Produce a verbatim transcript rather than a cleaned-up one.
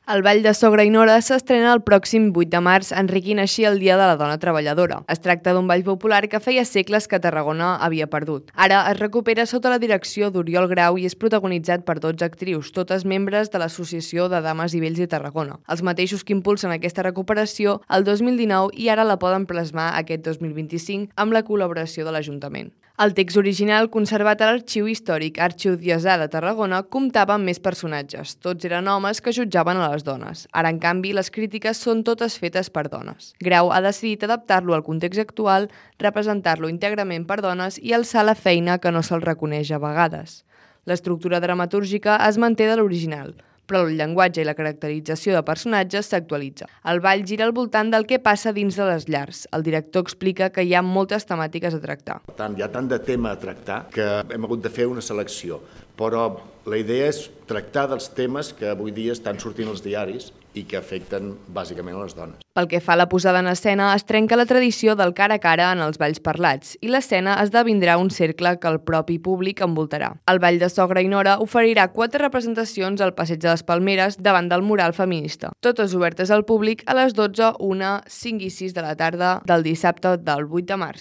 El Ball de Sogra i Nora s'estrena el pròxim vuit de març, enriquint així el Dia de la Dona Treballadora. Es tracta d'un ball popular que feia segles que Tarragona havia perdut. Ara es recupera sota la direcció d'Oriol Grau i és protagonitzat per dotze actrius, totes membres de l'Associació de Dames i Vells de Tarragona. Els mateixos que impulsen aquesta recuperació el dos mil dinou i ara la poden plasmar aquest dos mil vint-i-cinc amb la col·laboració de l'Ajuntament. El text original, conservat a l'Arxiu Històric Arxidiocesà de Tarragona, comptava amb més personatges. Tots eren homes que jutjaven a les dones. Ara, en canvi, les crítiques són totes fetes per dones. Grau ha decidit adaptar-lo al context actual, representar-lo íntegrament per dones i alçar la feina que no se'l reconeix a vegades. L'estructura dramatúrgica es manté de l'original, però el llenguatge i la caracterització de personatges s'actualitza. El ball gira al voltant del que passa dins de les llars. El director explica que hi ha moltes temàtiques a tractar. Per tant, hi ha tant de tema a tractar que hem hagut de fer una selecció, però la idea és tractar dels temes que avui dia estan sortint als diaris i que afecten bàsicament a les dones. Pel que fa a la posada en escena, es trenca la tradició del cara a cara en els balls parlats i l'escena esdevindrà un cercle que el propi públic envoltarà. El Ball de Sogra i Nora oferirà quatre representacions al Passeig de les Palmeres davant del mural feminista, totes obertes al públic a les dotze, una, cinc i sis de la tarda del dissabte del vuit de març.